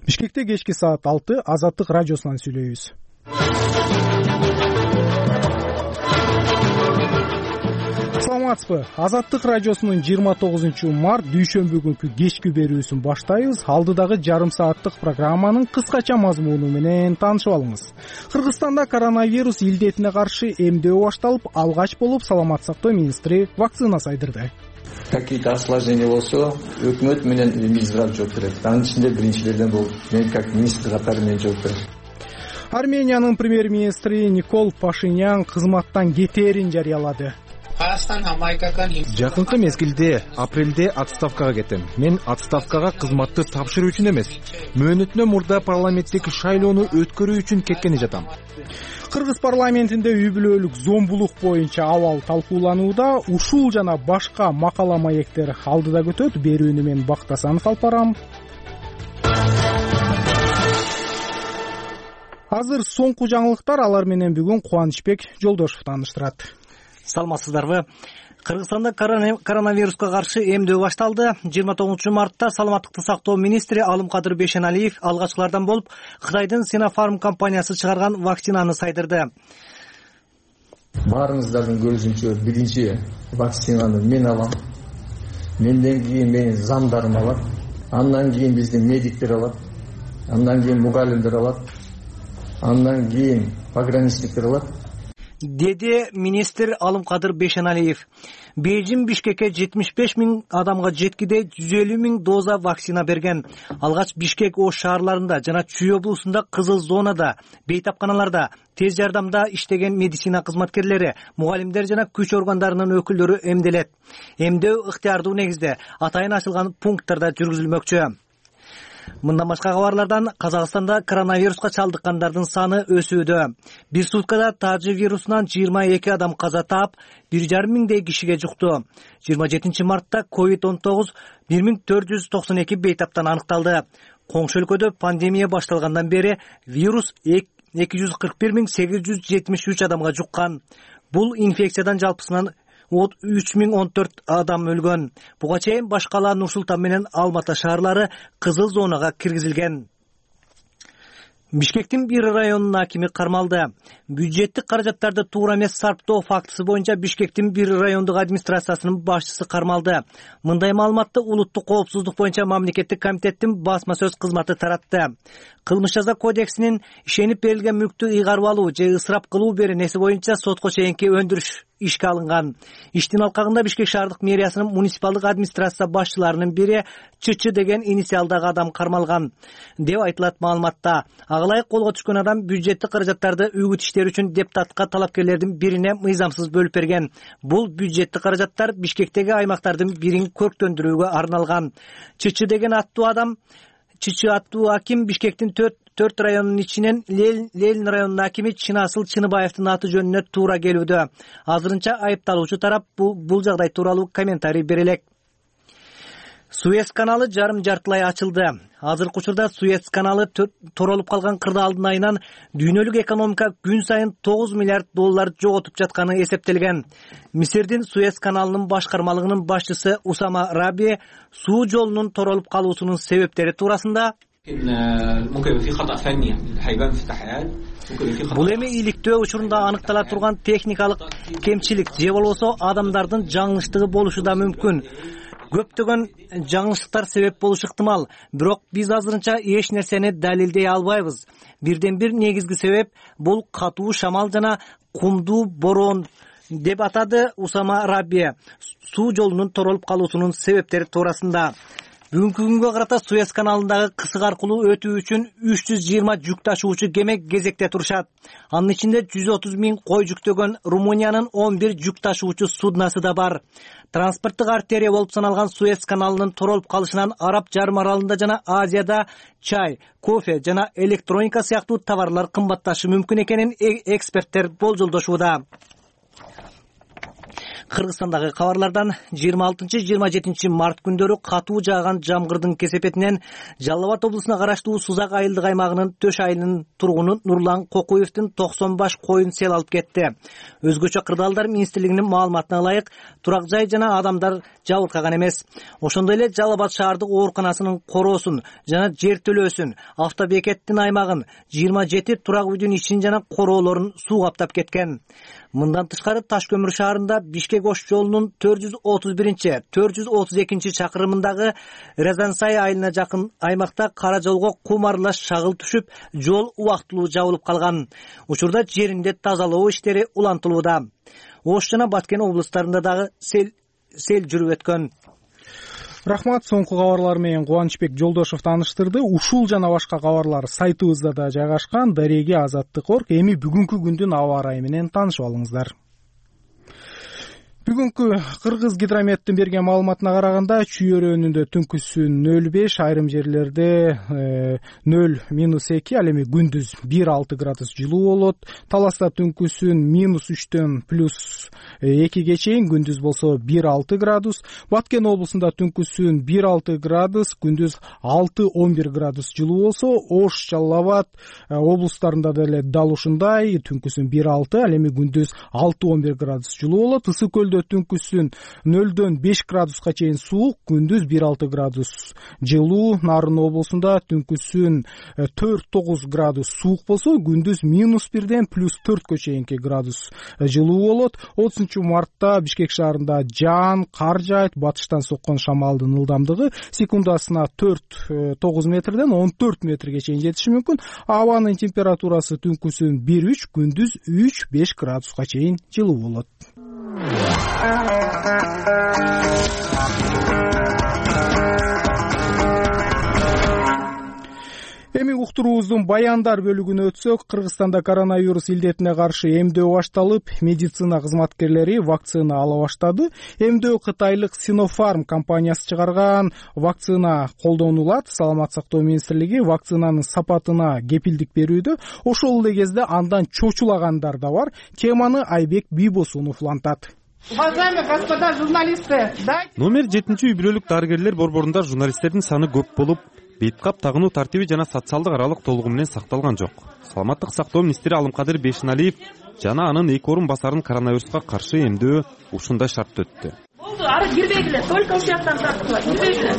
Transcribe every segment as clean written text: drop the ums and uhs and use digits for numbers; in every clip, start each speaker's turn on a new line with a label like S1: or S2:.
S1: Бишкекте кечки саат 6 Азаттык радиосунан сүйлөйбүз. Саламатсызбы? Азаттык радиосунун 29-март дүйшөмбү күнкү кечки берүүсүн баштайбыз. Алдыдагы жарым сааттык программанын кыскача мазмуну менен таанышып алыңыз. Кыргызстанда коронавирус илдетине каршы эмдөө башталып, алгач болуп Саламаттык сактоо министри вакцина сайдырды.
S2: Какие-то осложнения болсо, өкмөт менен Минздрав жооп берет. Анын ичинде биринчилерден болуп, мен как министр катары мен жооп берем.
S1: Армениянын премьер-министри Никол Пашинян кызматтан кетээрин жарыялады.
S3: Жакынкы мезгилде апрелде отставкага кетем. Мен отставкага кызматты тапшыруу үчүн эмес, мөөнөтүнөн мурда парламенттик шайлоону өткөрүү үчүн кеткени жатам.
S1: Кыргыз парламентинде үй бүлөлүк зомбулук боюнча абал талкууланууда. Ушул жана башка макала маектер алдыда көтөт. Берүүнү мен Бактасанов алып барам. Азыр соңку жаңылыктар, алар менен бүгүн Кубанычбек Жолдошов тааныштырат.
S4: Саламатсыздарбы? Кыргызстанда коронавируска каршы эмдөө башталды. 29-мартта саламаттыкты сактоо министри Алымкадыр Бейшеналиев алгачкылардан болуп Кытайдын Sinopharm компаниясы чыгарган вакцинаны сайдырды.
S2: Баарыңыздардын көрүшүнчө биринчи вакцинаны мен алам. Менден кийин менин замдарым алат. Андан кийин биздин медиктер алат. Андан кийин мугалимдер алат. Андан кийин пограничниктер алат,
S4: деди министр Алымкадыр Бейшеналиев. Бейжин Бишкекке 75 000 адамга жеткиде 150 000 доза вакцина берген. Алгач Бишкек Ош шаарларында жана Чүй облусунда кызыл зонада, бейтапканаларда, тез жардамда иштеген медицина кызматкерлери, мугалимдер жана күч органдарынын өкүлдөрү эмделет. Эмдөө ыктыярдуу негизде атайын ачылган пункттарда жүргүзүлмөкчү. Мындан башка кабарлардан Казакстанда коронавируска чалдыккандардын саны өсүүдө. Бир суткада тажы вирусунан 22 адам каза таап, 1,5 миңдей кишиге жукту. 27-мартта COVID-19 1492 бейтаптан аныкталды. Коңшу өлкөдө пандемия башталгандан бери вирус 241 873 адамга жуккан. Бул инфекциядан жалпысынан 3014 адам өлгөн. Буга чейин башкала Нур-Султан менен Алматы шаарлары кызыл зонага киргизилген. Бишкектин бир районунун акими кармалды. Бюджеттик каражаттарды туура эмес сарптоо фактысы боюнча Бишкектин бир райондук администрациясынын башчысы кармалды. Мындай маалыматты улуттук коопсуздук боюнча мамлекеттик комитеттин басма сөз кызматы таратты. Кылмыш жаза кодексинин ишенип берилген мүлктү ыйгарып алуу же ысырап кылуу беренеси боюнча сотко чейинки өндүрүш ишке алынган. Иштин алкагында Бишкек шаардык мэриясынын муниципалдык администрация башчыларынын бири ЧЧ деген инициалдагы адам кармалган деп айтылат маалыматта. Ага колго түшкөн адам бюджеттик каражаттарды үгүт иштер үчүн депутатка талапкерлердин бирине мыйзамсыз бөлүп берген. Бул бюджеттик каражаттар Бишкектеги аймактардын бирин көрктөндүрүүгө арналган. ЧЧ деген аттуу адам, ЧЧ аттуу аким Бишкектин 4 районунун ичинен Ленин районунун акими Чынасыл Чыныбаевдин аты жөнүнө туура келүүдө. Азырынча айыпталуучу тарап бул жагдай тууралуу комментарий бере элек. Суэц каналы жарым жартылай ачылды. Азыркы учурда Суэц каналы торолуп калган кырдаалдын айынан дүйнөлүк экономика күн сайын 9 миллиард доллар жоготуп жатканы эсептелген. Мисирдин Суэц каналынын башкармалыгынын башчысы Усама Раби суу жолунун торолуп калуусунун себептери туурасында бул эми иликтөө учурунда аныктала турган техникалык кемчилик же болбосо адамдардын жаңылыштыгы болушу да мүмкүн. Көптөгөн жаңылыштыктар себеп болушу ыктымал, бирок биз азырынча эч нерсени далилдей албайбыз. Бирден бир негизги себеп бул катуу шамал жана кумдуу бороон деп атады Усама Раби суу жолунун торолуп калуусунун себептери туурасында. Бүгүнкү күнгө карата Суэц каналындагы кысык аркылуу өтүү үчүн 320 жүк ташуучу кеме кезекте турушат. Анын ичинде 130 000 кой жүктөгөн Румыниянын 11 жүк ташуучу суднасы да бар. Транспорттук артерия болуп саналган Суэц каналынын торолуп калышынан Араб жарым аралында жана Азияда чай, кофе жана электроника сыяктуу товарлар кымбатташы мүмкүн экенин эксперттер болжолдошууда. Кыргызстандагы кабарлардан 26-27 март күндөрү катуу жааган жамгырдын кесепетинен Жалал Абад облусуна караштуу Сузак айылдык аймагынын Төш айылынын тургуну Нурлан Кокуевдин 90 баш коюн сел алып кетти. Өзгөчө Кырдаалдар министрлигинин маалыматына ылайык, турак жай жана адамдар жабыркаган эмес. Ошондой эле Жалал Абад шаардык ооруканасынын короосун жана жер төлөөсүн, автобекеттин аймагын, 27 турак үйдүн ишин жана короолорун суу каптап кеткен. Мындан тышкары Таш көмүр шаарында Бишкек-Ош жолунун 430-432 чакырымындагы Резансай айылына жакын аймакта кара жолго кум аралаш шагыл түшүп, жол убактылуу жабылып калган. Учурда жеринде тазалоо иштери улантылууда. Ош жана Баткен облустарында дагы сел жүрүп өткөн.
S1: Рахмат, соңку кабарлар менен Кубанычбек Жолдошов тааныштырды. Ушул жана башка кабарлар сайтыбызда да жайгашкан. Дареги Азаттык.орг. Эми бүгүнкү күндүн аба ырайы менен таанышып алыңыздар. Бүгүнкү Кыргыз гидрометтин берген маалыматына караганда Чүйөрөнүндө түнкүсүн 0,5, айрым жерлерде 0-2, ал эми күндүз 1-6 градус жылуу болот. Таласта түнкүсүн -3төн +2 чейин, күндүз болсо 1-6 градус. Баткен облусунда түнкүсүн 1-6 градус, күндүз 6-11 градус жылуу болсо, Ош, Жалал Абад облустарында деле дал ушундай, түнкүсүн 1-6, ал эми күндүз 6-11 градус жылуу болот. Ысык көлдө түнкүсүн 0-5 градуска чейин суук, күндүз 1-6 градус жылуу. Нарын облусунда түнкүсүн 4-9 градус суук болсо, күндүз -1ден +4 чейинки градус жылуу болот. 30 мартта Бишкек шаарында жаан, кар жаайт. Батыштан соккон шамалдын ылдамдыгы секундасына 4-9 метрден 14 метрге чейин жетиши мүмкүн. Абанын температурасы түнкүсүн 1-3, күндүз 3-5 градуска чейин жылуу болот. Эми уктуруубуздун баяндар бөлүгүнө өтсөк, Кыргызстанда коронавирус илдетине каршы эмдөө башталып, медицина кызматкерлери вакцина ала баштады. Эмдөө кытайлык Sinopharm компаниясы чыгарган вакцина колдонулат. Саламаттык сактоо министрлиги вакцинанын сапатына кепилдик берүүдө. Ошол эле кезде андан чочулагандар да бар. Теманы Айбек Бийбосунов улантат.
S5: Уважаемые господа журналисты,
S6: номер 7 үй-бүлөлүк дарыгерлер борборунда журналисттердин саны көп болуп, бейиткап тагынуу тартиби жана социалдык аралык толугу менен сакталган жок. Саламаттык сактоо министри Алымкадыр Бейшеналиев жана анын 2 орун басарын коронавируска каршы эмдөө ушундай шартты өттү.
S5: Болду, ары кирбегиле, только ушул жактан тартылат, кирбегиле.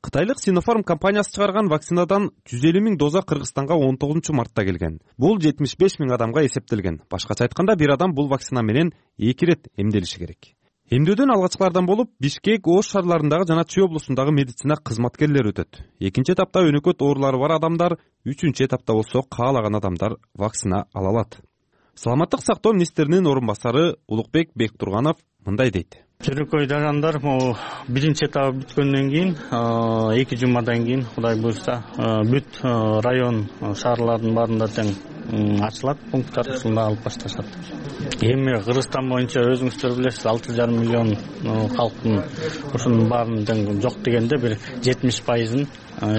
S6: Кытайлык Sinopharm компаниясы чыгарган вакцинадан 150 000 доза Кыргызстанга 19 мартта келген. Бул 75 000 адамга эсептелген. Башкача айтканда, бир адам бул вакцина менен 2 рет эмделиши керек. Эмдөөдөн алгачкылардан болуп, Бишкек, Ош шаарларындагы жана Чүй облусундагы медицина кызматкерлери өтөт. Экинчи этапта өнөкөт оорулары бар адамдар, үчүнчү этапта болсо каалаган адамдар вакцина ала алат. Саламаттык сактоо министринин орун басары Улукбек Бектурганов мындай дейт.
S7: Чөнөкөй жарандар биринчи этабы бүткөндөн кийин 2 жумадан кийин Кудай буйрса бүт район шаарлардын баарында тең ачылат, пункттар ушунда алып башташат. Эми Кыргызстан боюнча өзүңүздөр билесиз, 6,5 миллион калктын ушунун баарын тең жок дегенде бир 70%-ын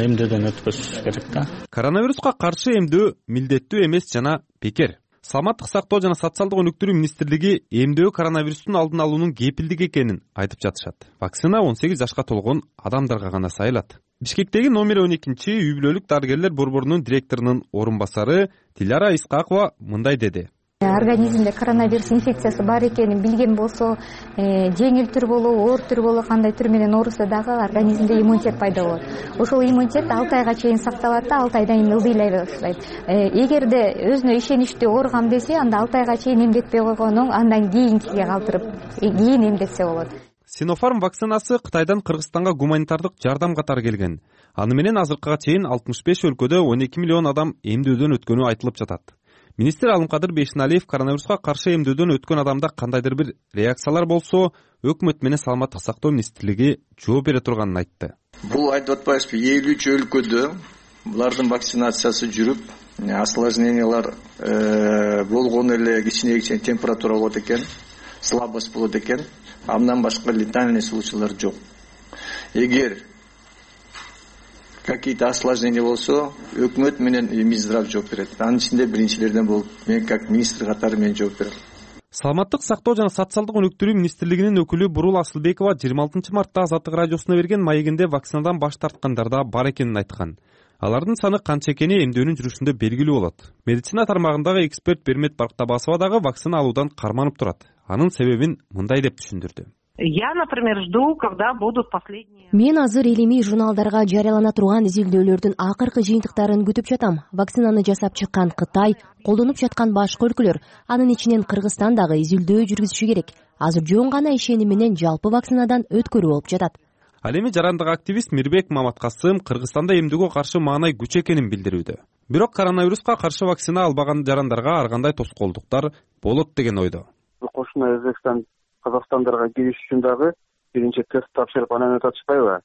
S7: эмдөөдөн өткөзүш керек да.
S6: Коронавируска каршы эмдөө милдеттүү эмес жана бекер. Саламаттык сактоо жана социалдык өнүктүрүү министрлиги эмдөө коронавирустун алдын алуунун кепилдик экенин айтып жатышат. Вакцина 18 жашка толгон адамдарга гана сайылат. Бишкектеги номер 12 үй-бүлөлүк дарыгерлер борборунун директорунун орун басары Диляра Искакова мындай деди.
S8: Организмде коронавирус инфекциясы бар экенин билген болсо, жеңил түр болобу, оор түр болобу, кандай түр менен ооруса дагы организмде иммунитет пайда болот. Ошол иммунитет 6 айга чейин сакталат да, 6 айдан кийин ылдыйлай баштайт. Эгерде өзүнө ишеничтүү ооругам десе, анда 6 айга чейин эмдетпей койгонун андан кийинкиге калтырып, кийин эмдетсе болот.
S6: Sinopharm вакцинасы Кытайдан Кыргызстанга гуманитардык жардам катары келген. Аны менен азыркыга чейин 65 өлкөдө 12 миллион адам эмдөөдөн өткөнү айтылып жатат. Министр Алымкадыр Бейшеналиев коронавируска каршы эмдөөдөн өткөн адамда кандайдыр бир реакциялар болсо, өкмөт менен саламаттык сактоо министрлиги жооп бере турганын айтты.
S2: Бул айтып атпайсызбы, 53 өлкөдө булардын вакцинациясы жүрүп, осложнениялар болгону эле кичине температура болот экен, слабость болот экен, андан башка летальный случайлар жок. Эгер какие-то осложнения болсо, өкмөт менен Минздрав жооп берет. Анын ичинде биринчилерден болуп, мен как министр катары мен жооп берем.
S6: Саламаттык сактоо жана социалдык өнүктүрүү министрлигинин өкүлү Бурул Асылбекова 26 мартта Азаттык радиосуна берген маегинде вакцинадан баш тарткандар да бар экенин айткан. Алардын саны канча экени эмдөөнүн жүрүшүндө белгилүү болот. Медицина тармагындагы эксперт Бермет Барктабасова дагы вакцина алуудан карманып турат. Анын себебин мындай деп түшүндүрдү.
S9: Я, например, жду, когда будут последние.
S10: Мен азыр илимий журналдарга жарыялана турган изилдөөлөрдүн акыркы жыйынтыктарын күтүп жатам. Вакцинаны жасап чыккан Кытай, колдонуп жаткан башка өлкөлөр, анын ичинен Кыргызстан дагы изилдөө жүргүзүшү керек. Азыр жөн гана ишеним менен жалпы вакцинадан өткөрүү болуп жатат.
S6: Ал эми жарандык активист Мирбек Маматкасым Кыргызстанда эмдүүгө каршы маанай күч экенин билдирүүдө. Бирок коронавируска каршы вакцина албаган жарандарга ар кандай тоскоолдуктар болот деген ойдо.
S11: Кошуна Өзбекстан Казакстандарға кириш үчүн дагы биринчи тест тапшырып анан өтүп атышпайбы?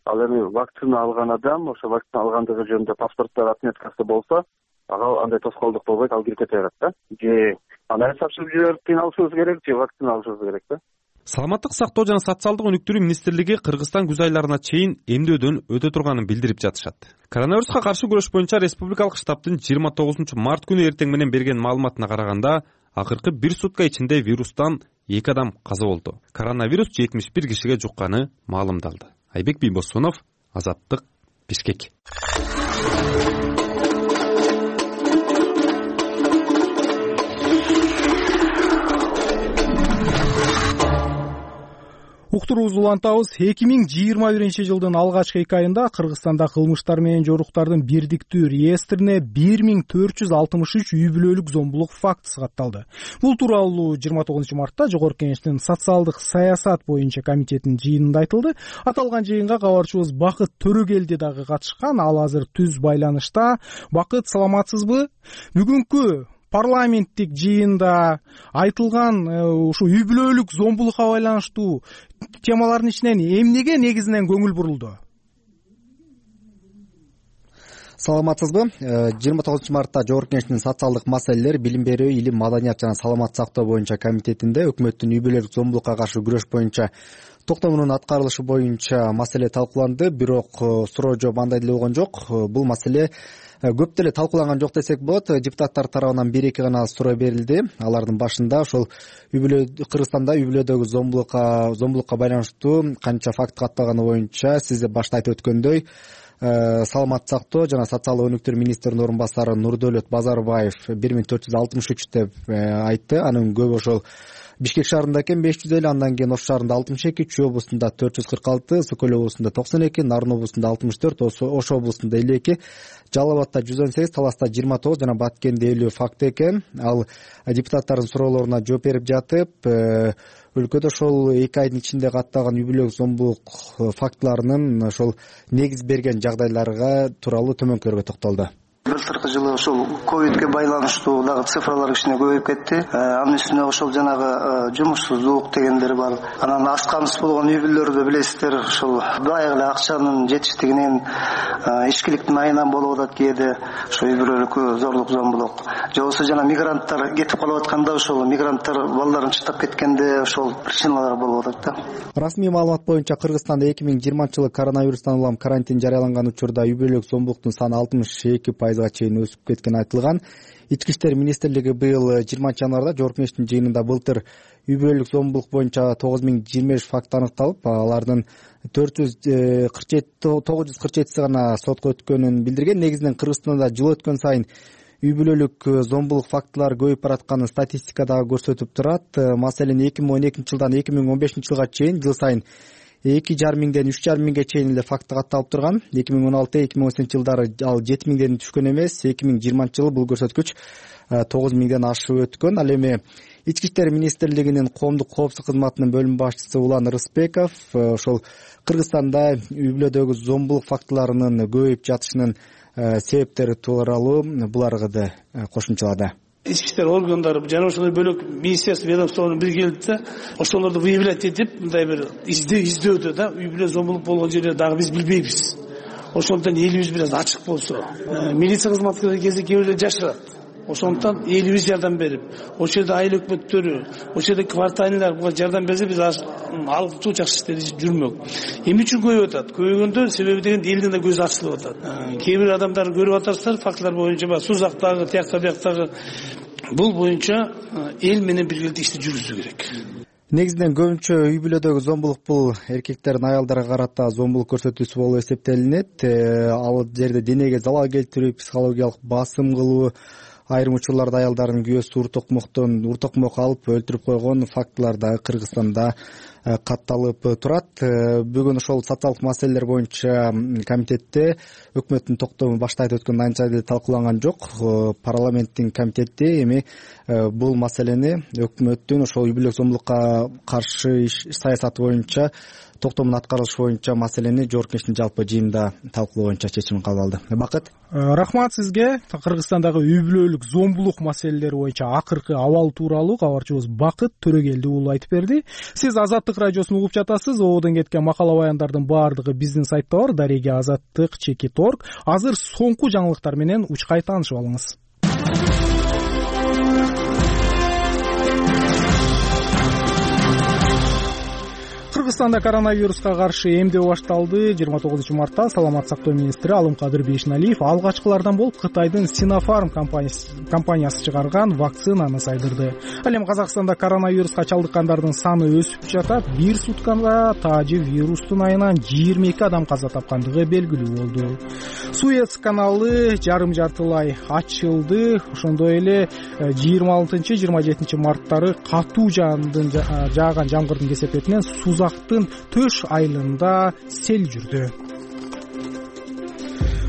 S11: Ал эми вакцина алган адам ошо вакцина алгандыгы жөнүндө паспорттор отметкасы болсо, ага андай тоскоолдук болбойт, ал кирип кете берет да. Же анан тапшырып жиберип кыйналышыбыз керек, же вакцина алышыбыз керек да.
S6: Саламаттык сактоо жана социалдык өнүктүрүү министрлиги Кыргызстан күз айларына чейин эмдөөдөн өтө турганын билдирип жатышат. Коронавируска каршы күрөш боюнча республикалык штабтын 29 март күнү эртең менен берген маалыматына караганда, акыркы 1 сутка ичинде вирустан 2 адам каза болду. Коронавирус 71 кишиге жукканы маалымдалды. Айбек Бийбосунов, Азаттык, Бишкек.
S1: Уктуруубузду улантабыз. 2021-жылдын алгачкы 2 айында Кыргызстанда кылмыштар менен жоруктардын бирдиктүү реестрине 1463 үй бүлөлүк зомбулук фактысы катталды. Бул тууралуу 29 мартта Жогорку Кеңештин социалдык саясат боюнча комитетинин жыйынында айтылды. Аталган жыйынга кабарчыбыз Бакыт Төрөгелди дагы катышкан. Ал азыр түз байланышта. Бакыт, саламатсызбы? Бүгүнкү парламенттик жыйында айтылган ушу үй бүлөлүк зомбулукка байланыштуу темалардын ичинен эмнеге негизинен көңүл бурулду?
S12: Саламатсызбы? 29 мартта Жогорку Кеңештин социалдык маселелер, билим берүү, илим, маданият жана саламат сактоо боюнча комитетинде өкмөттүн үй бүлөлүк зомбулукка каршы күрөш боюнча токтомунун аткарылышы боюнча маселе талкууланды. Бирок суроо жооп андай деле болгон жок. Бул маселе көп деле талкууланган жок десек болот. Депутаттар тарабынан 1-2 гана суроо берилди. Алардын башында ошол Кыргызстанда үй бүлөдөгү зомбулукка байланыштуу канча факт катталганы боюнча сиз башта айтып өткөндөй саламат сактоо жана социалдык өнүктүрүү министринин орун басары Нурдөөлөт Базарбаев 1463 деп айтты. Анын көбү ошол Бишкек шаарында экен 550, андан кийин Ош шаарында 62, Чүй облусунда 446, Сокөл облусунда 92, Нарын облусунда 64, Ош облусунда 52, Жалал Абадта 118, Таласта 29 жана Баткенде 50 факт экен. Ал депутаттардын суроолоруна жооп берип жатып, өлкөдө ошол 2 айдын ичинде катталган үй бүлөлүк зомбулук фактыларынын ошол негиз берген жагдайларга тууралуу төмөнкүлөргө токтолду.
S13: Былтыркы жылы ошол ковидке байланыштуу дагы цифралар кичине көбөйүп кетти. Анын үстүнө ошол жанагы жумушсуздук дегендер бар. Анан аз камсыз болгон үй бүлөлөрдө билесиздер, ошол баягы эле акчанын жетиштигинен ичкиликтин айынан болуп атат кээде ошол үй бүлөлүк зорлук зомбулук. Же болбосо жана мигранттар кетип калып атканда ошол мигранттар балдарын таштап кеткенде ошол причиналар болуп атат да.
S12: Расмий маалымат боюнча Кыргызстанда 2020-жылы коронавирустан улам карантин жарыяланган учурда үй бүлөлүк зомбулуктун саны 62% чейин өсүп кеткени айтылган. Ички иштер министрлиги быйыл 20 январда Жогорку Кеңештин жыйынында былтыр үй бүлөлүк зомбулук боюнча 9025 факт аныкталып, алардын 947 гана сотко өткөнүн билдирген. Негизинен Кыргызстанда жыл өткөн сайын үй бүлөлүк зомбулук фактылары көбөйүп баратканын статистика дагы көрсөтүп турат. Маселен 2012 жылдан 2015 жылга чейин жыл сайын 2,5 миңден 3,5 миңге чейин эле факты катталып турган. 2016-2018 жылдары ал 7 миңден түшкөн эмес. 2020 жылы бул көрсөткүч 9 миңден ашып өткөн. Ал эми Ички иштер министрлигинин коомдук коопсуздук кызматынын бөлүм башчысы Улан Рыспеков ошол Кыргызстанда үй бүлөдөгү зомбулук фактыларынын көбөйүп жатышынын себептери тууралуу буларгыды кошумчалады.
S14: Ички иштер органдары жана ошондой бөлөк министерство ведомстволордун бири келип да ошолорду выявлять этип мындай бир издөөдө да үй бүлө зомбулук болгон жерлерди дагы биз билбейбиз. Ошондуктан элибиз бир аз ачык болсо, милиция кызматкерлери кезде кээ бирлер жашырат. Ошондуктан элибиз жардам берип, ошол жерде айыл өкмөттөрү, ошол жерде квартальныйлар буга жардам берсе биз алгычуу жакшы иштери жүрмөк. Эмне үчүн көбөйүп атат? Көбөйгөндө себеби деген элдин да көзү ачылып атат. Кээ бир адамдар көрүп атасыздар фактылар боюнча Сузактагы, тияктагы бул боюнча эл менен биргеликте ишти жүргүзүү керек.
S12: Негизинен көбүнчө үй бүлөдөгү зомбулук бул эркектердин аялдарга карата зомбулук көрсөтүүсү болуп эсептелинет. Ал жерде денеге залал келтирүү, психологиялык басым кылуу, айрым учурларда аялдардын күйөөсү уртокмок алып өлтүрүп койгон фактылар да Кыргызстанда катталып турат. Бүгүн ошол социалдык маселелер боюнча комитетте өкмөттүн токтому башта айтып өткөн анча деле талкууланган жок. Парламенттин комитети эми бул маселени өкмөттүн ошол үй бүлөлүк зомбулукка каршы саясаты боюнча токтомун аткарылышы боюнча маселени Жогорку Кеңештин жалпы жыйынында талкуулоо боюнча чечим кабыл алды. Бакыт,
S1: рахмат сизге. Кыргызстандагы үй бүлөлүк зомбулук маселелери боюнча акыркы абал тууралуу кабарчыбыз Бакыт Төрөгелди уулу айтып берди. Сиз Азаттык радиосун угуп жатасыз. Ободон кеткен макала баяндардын баардыгы биздин сайтта бар. Дареги Азаттык.org. Азыр соңку жаңылыктар менен учкай таанышып алыңыз. Кыргызстанда коронавируска каршы эмдөө башталды. 29 мартта Саламат сактоо министри Алымкадыр Бейшеналиев алгачкылардан болуп Кытайдын Sinopharm компаниясы чыгарган вакцинаны сайдырды. Ал эми Казакстанда коронавируска чалдыккандардын саны өсүп жатат. Бир суткада таажы вирустун айынан 22 адам каза тапкандыгы белгилүү болду. Суэц каналы жарым жартылай ачылды. Ошондой эле 26-27 марттары катуу жааган жамгырдын кесепетинен Сузактын Төш айылында сел жүрдү.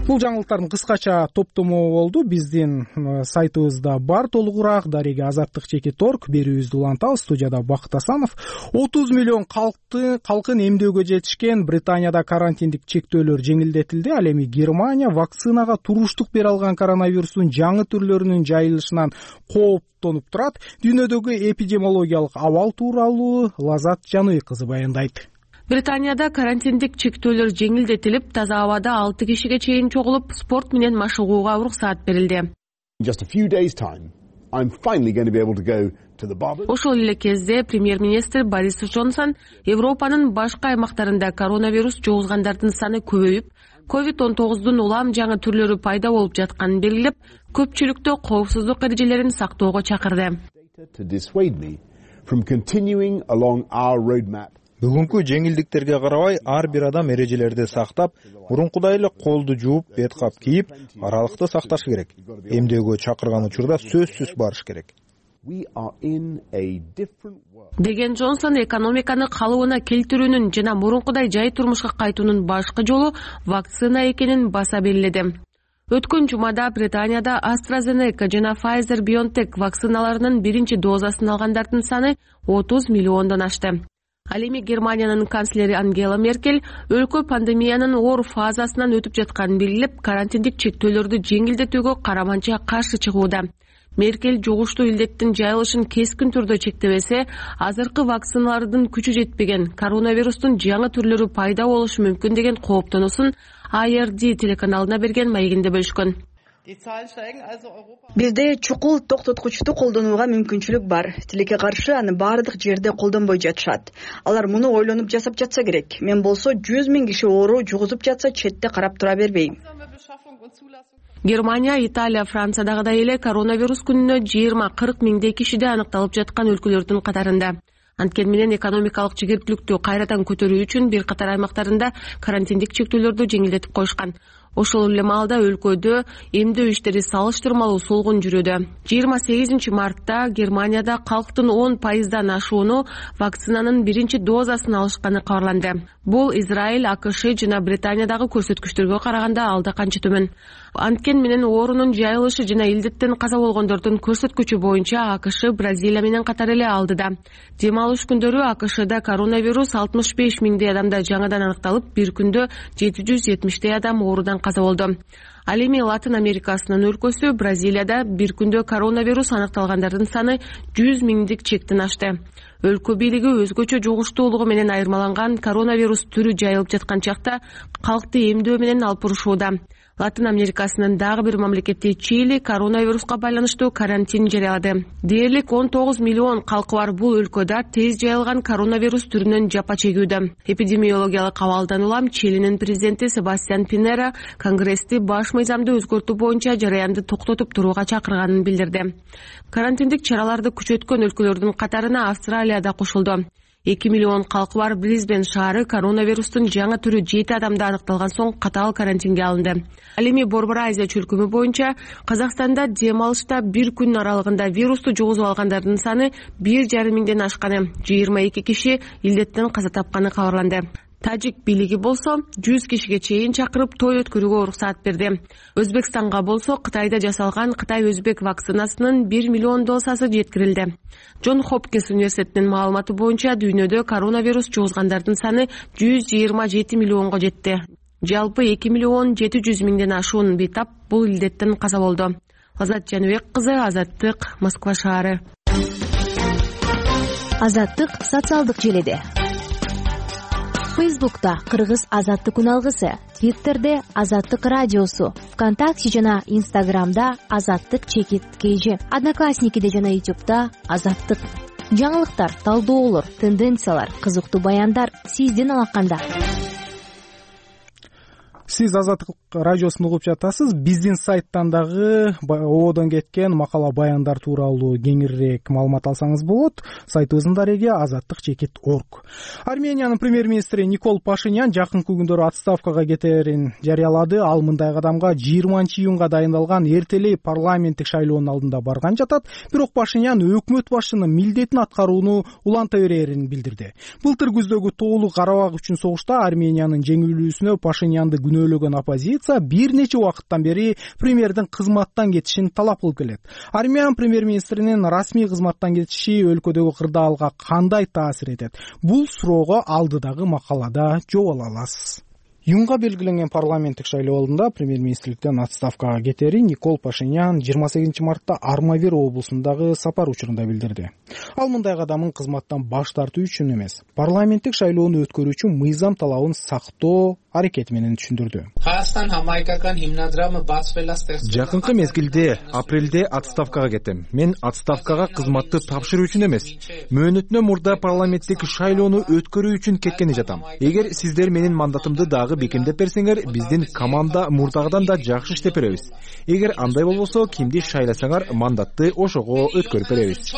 S1: Бул жаңылыктардын кыскача топтому болду. Биздин сайтыбызда бар толугураак. Дареги Азаттык.org. Берүүбүздү улантабыз. Студияда Бакыт Асанов. 30 миллион калкын эмдөөгө жетишкен. Британияда карантиндик чектөөлөр жеңилдетилди. Ал эми Германия вакцинага туруштук бере алган коронавирустун жаңы түрлөрүнүн жайылышынан кооптонуп турат. Дүйнөдөгү эпидемиологиялык абал тууралуу Лазат Жаный кызы баяндайт.
S15: Британияда карантиндик чектөөлөр жеңилдетилип, таза абада 6 кишиге чейин чогулуп, спорт менен машыгууга уруксаат берилди. Ошол эле кезде премьер-министр Борис Джонсон Европанын башка аймактарында коронавирус жугузгандардын саны көбөйүп, COVID-19 улам жаңы түрлөрү пайда болуп жатканын белгилеп, көпчүлүктү коопсуздук эрежелерин сактоого чакырды.
S16: Бүгүнкү жеңилдиктерге карабай ар бир адам эрежелерди сактап, мурункудай эле колду жууп, бет кап кийип, аралыкты сакташы керек. Эмдөөгө чакырган учурда сөзсүз барыш керек.
S15: Деген Джонсон экономиканы калыбына келтирүүнүн жана мурункудай жай турмушка кайтуунун башкы жолу вакцина экенин баса белгиледи. Өткөн жумада Британияда AstraZeneca жана Pfizer-BioNTech вакциналарынын биринчи дозасын алгандардын саны 30 миллиондон ашты. Ал эми Германиянын канцлери Ангела Меркель өлкө пандемиянын оор фазасынан өтүп жатканын белгилеп, карантиндик чектөөлөрдү жеңилдетүүгө караманча каршы чыгууда. Меркель жугуштуу илдеттин жайылышын кескин түрдө чектебесе, азыркы вакциналардын күчү жетпеген, коронавирустун жаңы түрлөрү пайда болушу мүмкүн деген кооптонуусун ARD телеканалына берген маегинде бөлүшкөн.
S17: Бизде чукул токтоткучту колдонууга мүмкүнчүлүк бар. Тилекке каршы аны баардык жерде колдонбой жатышат. Алар муну ойлонуп жасап жатса керек. Мен болсо 100 000 киши оору жугузуп жатса четте карап тура бербейм.
S15: Германия, Италия, Франциядагыдай эле коронавирус күнүнө 20-40 миңдей кишиде аныкталып жаткан өлкөлөрдүн катарында. Анткени менен экономикалык жигерттүүлүктү кайрадан көтөрүү үчүн бир катар аймактарында карантиндик чектөөлөрдү жеңилдетип коюшкан. Ошол эле маалда өлкөдө эмдөө иштери салыштырмалуу солгун жүрүүдө. 28 мартта Германияда калктын 10%дан ашууну вакцинанын биринчи дозасын алышканы кабарланды. Бул Израиль, АКШ жана Британиядагы көрсөткүчтөргө караганда алда канча төмөн. Анткени менен оорунун жайылышы жана илдеттен каза болгондордун көрсөткүчү боюнча АКШ Бразилия менен катар эле алдыда. Дем алыш күндөрү АКШда коронавирус 65 миңдей адамда жаңадан аныкталып, бир күндө 770 адам оорудан каза болду. Ал эми Латын Америкасынын өлкөсү Бразилияда бир күндө коронавирус аныкталгандардын саны 100 миңдик чектин ашты. Өлкө бийлиги өзгөчө жугуштуулугу менен айырмаланган коронавирус түрү жайылып жаткан чакта калкты эмдөө менен алып бурушууда. Латын Америкасынын дагы бир мамлекети Чили коронавируска байланыштуу карантин жарыялады. Дээрлик 19 миллион калкы бар бул өлкөдө тез жайылган коронавирус түрүнөн жапа чегүүдө. Эпидемиологиялык абалдан улам Чилинин президенти Себастьян Пинера Конгрессти баш мыйзамды өзгөртүү боюнча жараянды токтотуп турууга чакырганын билдирди. Карантиндик чараларды күчөткөн өлкөлөрдүн катарына Австралия да кошулду. 2 миллион калкы бар Брисбен шаары коронавирустун жаңы түрү 7 адамда аныкталган соң катаал карантинге алынды. Ал эми Борбор Азия чөлкөмү боюнча Казакстанда дем алышта бир күн аралыгында вирусту жугузуп алгандардын саны 1,5 миңден ашканы, 22 киши илдеттен каза тапканы кабарланды. Тажик бийлиги болсо 100 кишиге чейин чакырып той өткөрүүгө уруксаат берди. Өзбекстанга болсо Кытайда жасалган Кытай-Өзбек вакцинасынын 1 миллион дозасы жеткирилди. Джон Хопкинс университетинин маалыматы боюнча дүйнөдө коронавирус жугузгандардын саны 127 миллионго жетти. Жалпы 2 миллион 700 миңден ашуун бейтап бул илдеттен каза болду. Азат Жаныбек кызы, Азаттык, Москва шаары.
S10: Азаттык социалдык желеде. Фейсбукта Кыргыз Азаттык күн алгысы, Твиттерде Азаттык радиосу, ВКонтакте жана Инстаграмда Азаттык _KG, Одноклассникиде жана Ютубта Азаттык. Жаңылыктар, талдоолор, тенденциялар, кызыктуу баяндар сизден алаканда.
S1: Сиз Азаттык радиосун угуп жатасыз. Биздин сайттан дагы ободон кеткен макала баяндар тууралуу кеңирээк маалымат алсаңыз болот. Сайтыбыздын дареги azattik.org. Армениянын премьер-министри Никол Пашинян жакынкы күндөрү отставкага кетерин жарыялады. Ал мындай кадамга 20-июнга дайындалган эртелей парламенттик шайлоонун алдында барган жатат. Бирок Пашинян өкмөт башчынын милдетин аткарууну уланта берерин билдирди. Былтыр күздөгү тоолук Карабак үчүн согушта Армениянын жеңилүүсүнө Пашинянды күнөөлөгөн оппозиция бир нече убакыттан бери премьердин кызматтан кетишин талап кылып келет. Армян премьер-министринин расмий кызматтан кетиши өлкөдөгү кырдаалга кандай таасир этет? Бул суроого алдыдагы макалада жооп ала аласыз. Июнга белгиленген парламенттик шайлоо алдында премьер-министрликтен отставкага кетерин Никол Пашинян 28 мартта Армавир облусундагы сапар учурунда билдирди. Ал мындай кадамын кызматтан баш тартуу үчүн эмес, парламенттик шайлоону өткөрүү үчүн мыйзам талабын сактоо аракети менен түшүндүрдү.
S3: Жакынкы мезгилде апрелде отставкага кетем. Мен отставкага кызматты тапшыруу үчүн эмес, мөөнөтүнөн мурда парламенттик шайлоону өткөрүү үчүн кеткени жатам. Эгер сиздер менин мандатымды дагы бекемдеп берсеңер, биздин команда мурдагыдан да жакшы иштеп беребиз. Эгер андай болбосо, кимди шайласаңар, мандатты ошого өткөрүп беребиз.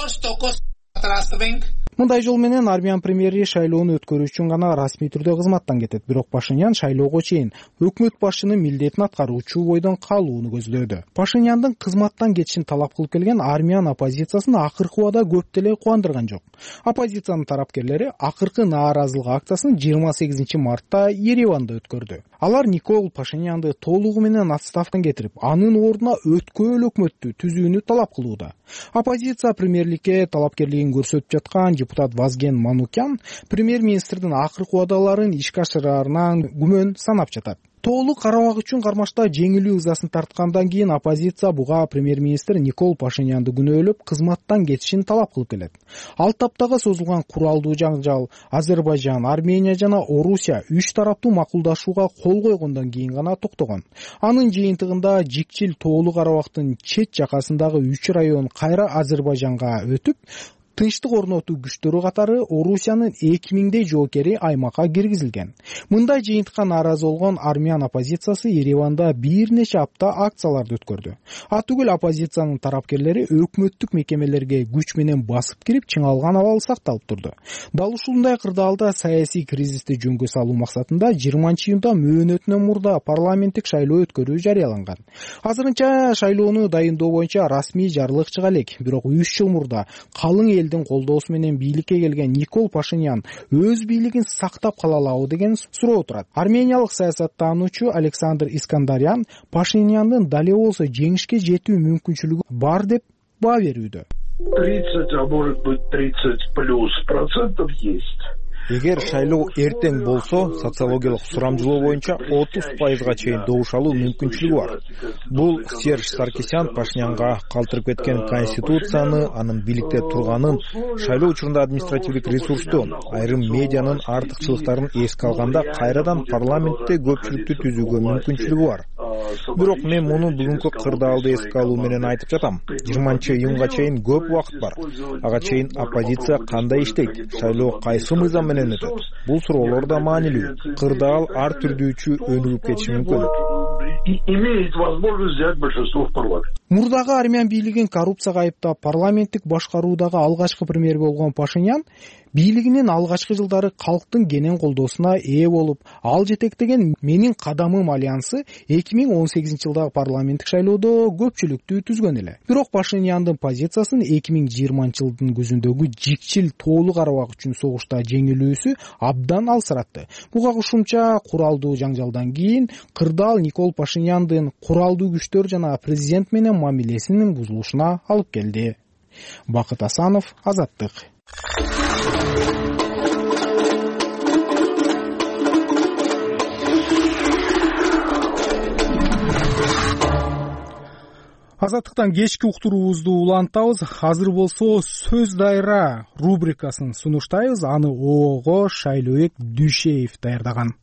S1: Мындай жол менен армян премьери шайлоону өткөрүү үчүн гана расмий түрдө кызматтан кетет. Бирок Пашинян шайлоого чейин өкмөт башчынын милдетин аткаруучу бойдон калууну көздөөдө. Пашиняндын кызматтан кетишин талап кылып келген армян оппозициясын акыркы убада көп деле кубандырган жок. Оппозициянын тарапкерлери акыркы нааразылык акциясын 28 мартта Ереванда өткөрдү. Алар Никол Пашинянды толугу менен отставкадан кетирип, анын ордуна өткөөл өкмөттү түзүүнү талап кылууда. Оппозиция премьерликке талапкерлигин көрсөтүп жаткан депутат Вазген Манукян премьер-министрдин акыркы убадаларын ишке ашыраарынан күмөн санап жатат. Тоолук Карабак үчүн кармашта жеңилүү ызасын тарткандан кийин оппозиция буга премьер-министр Никол Пашинянды күнөөлөп, кызматтан кетишин талап кылып келет. Ал таптагы созулган куралдуу жаңжал Азербайжан, Армения жана Орусия 3 тараптуу макулдашууга кол койгондон кийин гана токтогон. Анын жыйынтыгында Жикчил Тоолук Карабактын чет жакасындагы 3 район кайра Азербайжанга өтүп, тынчтык орнотуу күчтөрү катары Орусиянын 2000дей жоокери аймакка киргизилген. Мындай жыйынтыкка нааразы болгон армян оппозициясы Ереванда бир нече апта акцияларды өткөрдү. Атүгүл оппозициянын тарапкерлери өкмөттүк мекемелерге күч менен басып кирип, чыңалган абал сакталып турду. Дал ушундай кырдаалда саясий кризисти жөнгө салуу максатында 20-июнда мөөнөтүнөн мурда парламенттик шайлоо өткөрүү жарыяланган. Азырынча шайлоону дайындоо боюнча расмий жарлык чыга элек, бирок 3 жыл мурда калың элдин колдоосу менен бийликке келген Никол Пашинян өз бийлигин сактап кала алабы деген суроо турат. Армениялык саясаттануучу Александр Искандарян Пашиняндын дале болсо жеңишке жетүү мүмкүнчүлүгү бар деп баа берүүдө.
S18: 30, а может быть 30+% есть.
S16: Эгер шайлоо эртең болсо, социологиялык сурамжылоо боюнча 30%га чейин добушалуу мүмкүнчүлүгү бар. Бул Серж Саркисян Пашинянга калтырып кеткен конституцияны, анын бийликте турганын, шайлоо учурунда административдик ресурсту, айрым медианын артыкчылыктарын эске алганда кайрадан парламентте көпчүлүктү түзүүгө мүмкүнчүлүгү бар. Бирок мен муну бүгүнкү кырдаалды эске алуу менен айтып жатам. 20-июнга чейин көп убакыт бар. Ага чейин оппозиция кандай иштейт? Шайлоо кайсы мыйзам менен өтөт? Бул суроолор да маанилүү. Кырдаал ар түрдүүчү өнүгүп кетиши мүмкүн.
S18: имеет возможность взять большинство в парламенте.
S1: Мурдагы армян бийлигин коррупцияга айыптап парламенттик башкаруудагы алгачкы премьер болгон Пашинян бийлигинин алгачкы жылдары калктын кенен колдоосуна ээ болуп, ал жетектеген Менин кадамым альянсы 2018-жылдагы парламенттик шайлоодо көпчүлүктү түзгөн эле. Бирок Пашиняндын позициясын 2020-жылдын күзүндөгү жикчил тоолук карабак үчүн согушта жеңилүүсү абдан алсыратты. Буга кошумча куралдуу жаңжалдан кийин кырдаал Никол Пашиняндын куралдуу күчтөр жана президент менен мамилесинин бузулушуна алып келди. Бакыт Асанов, Азаттык. Азаттыктан кечки уктуруубузду улантабыз. Азыр болсо сөз дайра рубрикасын сунуштайбыз. Аны ОООго Шайлообек Дүйшеев даярдаган.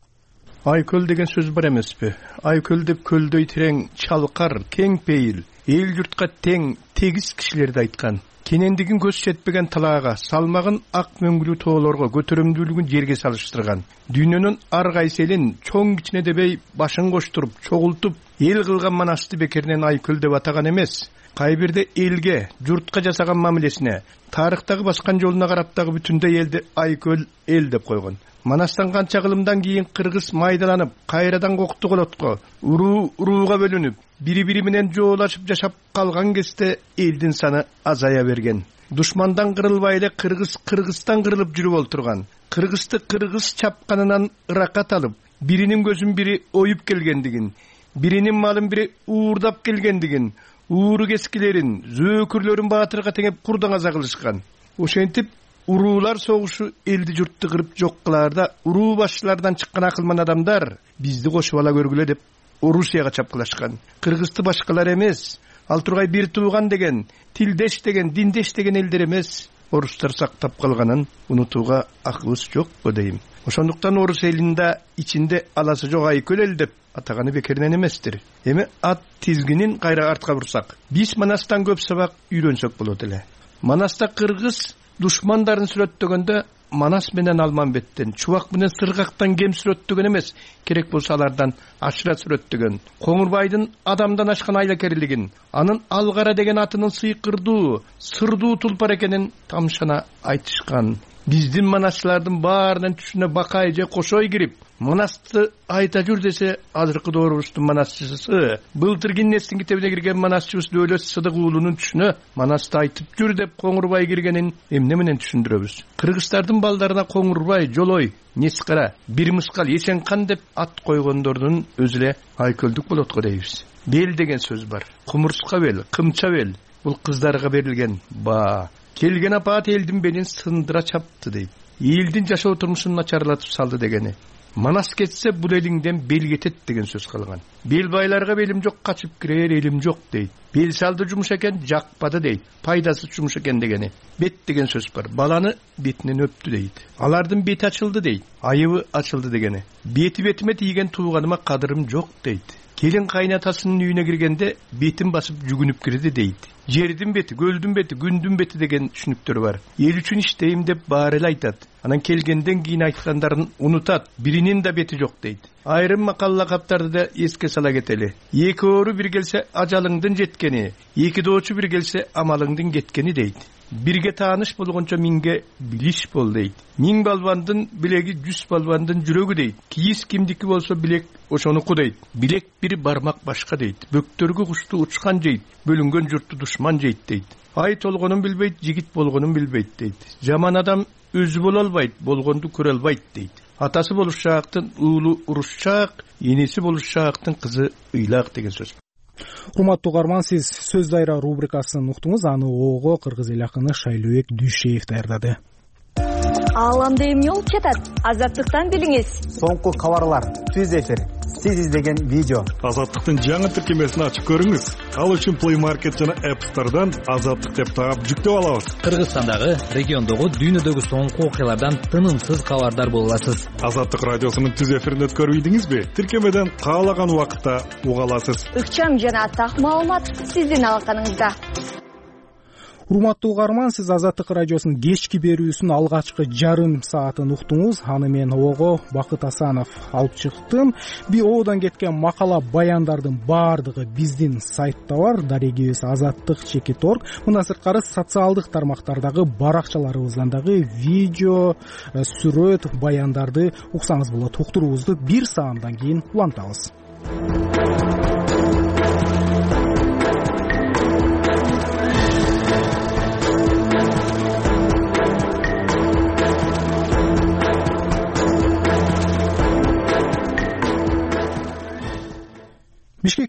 S19: Айкөл деген сөз бар эмеспи? Айкөл деп көлдөй терең, чалкар, кең пейил, эл журтка тең, тегиз кишилерди айткан. Кенендигин көз жетпеген талаага, салмагын ак мөңгүлүү тоолорго, көтөрүмдүүлүгүн жерге салыштырган. Дүйнөнүн ар кайсы элин чоң кичине дебей башын коштуруп, чогултуп, эл кылган манасты бекеринен Айкөл деп атаган эмес. Кай бирде элге, журтка жасаган мамилесине, тарыхтагы баскан жолуна карап дагы бүтүндөй элди Айкөл эл деп койгон. Манастан канча кылымдан кийин кыргыз майдаланып, кайрадан кокту колотко, урууга бөлүнүп, бири-бири менен жоолашып жашап калган кезде элдин саны азая берген. Душмандан кырылбай эле Кыргызстан кырылып жүрүп олтурган. Кыргызды кыргыз чапканынан ыракат алып, биринин көзүн бири оюп келгендигин, биринин малын бири уурдап келгендигин, ууру кескилерин, зөөкүрлөрүн баатырга теңеп курдан аза кылышкан. Ошентип уруулар согушу элди журтты кырып жок кылаарда уруу башчылардан чыккан акылман адамдар бизди кошуп ала көргүлө деп Орусияга чапкылашкан. Кыргызды башкалар эмес, ал тургай бир тууган деген, тилдеш деген, диндеш деген элдер эмес, орустар сактап калганын унутууга акыбыз жокпу дейм. Ошондуктан орус элинде ичинде аласы жок Айкөл эл деп атаганы бекеринен эместир. Эми ат тизгинин кайра артка бурсак, биз Манастан көп сабак үйрөнсөк болот эле. Манаста кыргыз душмандарын сүрөттөгөндө Манас менен Алманбеттен, Чубак менен Сыргактан кем сүрөттөгөн эмес, керек болсо алардан ашыра сүрөттөгөн. Коңурбайдын адамдан ашкан айлакерлигин, анын Алгара деген атынын сыйкырдуу, сырдуу тулпар экенин тамшана айтышкан. Биздин манасчылардын баарынын түшүнө Бакай же Кошой кирип, Манасты айта жүр десе, азыркы доорубуздун манасчысы, былтыр Гиннестин китебине кирген манасчыбыз Дөөлөт Сыдык уулунун түшүнө Манасты айтып жүр деп Коңурбай киргенин эмне менен түшүндүрөбүз? Кыргыздардын балдарына Коңурбай, Жолой, Нескара, Бир Мыскал, Эсенкан деп ат койгондордун өзү эле Айкөлдүк болот го дейбиз. Бел деген сөз бар. Кумурска бел, кымча бел. Бул кыздарга берилген баа. Келген апаат элдин белин сындыра чапты дейт. Элдин жашоо турмушун начарлатып салды дегени. Манас кетсе бул элиңден бел кетет деген сөз калган. Бел байларга белим жок, качып кирер элим жок дейт. Бел салды жумуш экен, жакпады дейт. Пайдасы жумуш экен дегени. Бет деген сөз бар. Баланы бетинен өптү дейт. Алардын бети ачылды дейт. Айыбы ачылды дегени. Бетиме тийген тууганыма кадырым жок дейт. Келин кайнатасынын үйүнө киргенде бетин басып жүгүнүп кирди дейт. Жердин бети, көлдүн бети, күндүн бети деген түшүнүктөр бар. Эл үчүн иштейм деп баары эле айтат. Анан келгенден кийин айткандарын унутат. Биринин да бети жок дейт. Айрым макал лакаптарды да эске сала кетели. Эки оору бир келсе ажалыңдын жеткени, эки доочу бир келсе амалыңдын кеткени дейт. Бирге тааныш болгончо миңге билиш бол дейт. Миң балбандын билеги 100 балбандын жүрөгү дейт. Кийиз кимдики болсо билек ошонуку дейт. Билек бир бармак башка дейт. Бөктөргө кушту учкан жейт. Бөлүнгөн журтту душман жейт дейт. Ай толгонун билбейт, жигит болгонун билбейт дейт. Жаман адам өзү боло албайт, болгонду көрө албайт дейт. Атасы болушчаактын уулу урушчаак, энеси болушчаактын кызы ыйлак деген сөз.
S1: Урматтуу угарман, сиз сөз дайра рубрикасын уктуңуз. Аны ОООго кыргыз эл акыны Шайлообек Дүйшеев даярдады.
S20: Ааламда эмне болуп жатат? Азаттыктан билиңиз.
S21: Соңку кабарлар, түз эфир, сиз издеген видео.
S22: Азаттыктын жаңы тиркемесин ачып көрүңүз. Ал үчүн Play Market жана App Store'дан Азаттык деп таап жүктөп алабыз.
S23: Кыргызстандагы, региондогу, дүйнөдөгү соңку окуялардан тынымсыз кабардар боло аласыз.
S22: Азаттык радиосунун түз эфирин өткөрүп ийдиңизби? Тиркемеден каалаган убакытта уга аласыз.
S20: Ыкчам жана так маалымат сиздин алаканыңызда.
S1: урматтуу угарман, сиз Азаттык радиосунун кечки берүүсүнүн алгачкы жарым саатын уктуңуз. Аны мен ого Бакыт Асанов алып чыктым. Ободон кеткен макала баяндардын баардыгы биздин сайтта бар, дарегибиз azаттык.org. Мындан сырткары социалдык тармактардагы баракчаларыбыздан дагы видео, сүрөт, баяндарды уксаңыз болот. Уктуруубузду бир саамдан кийин улантабыз.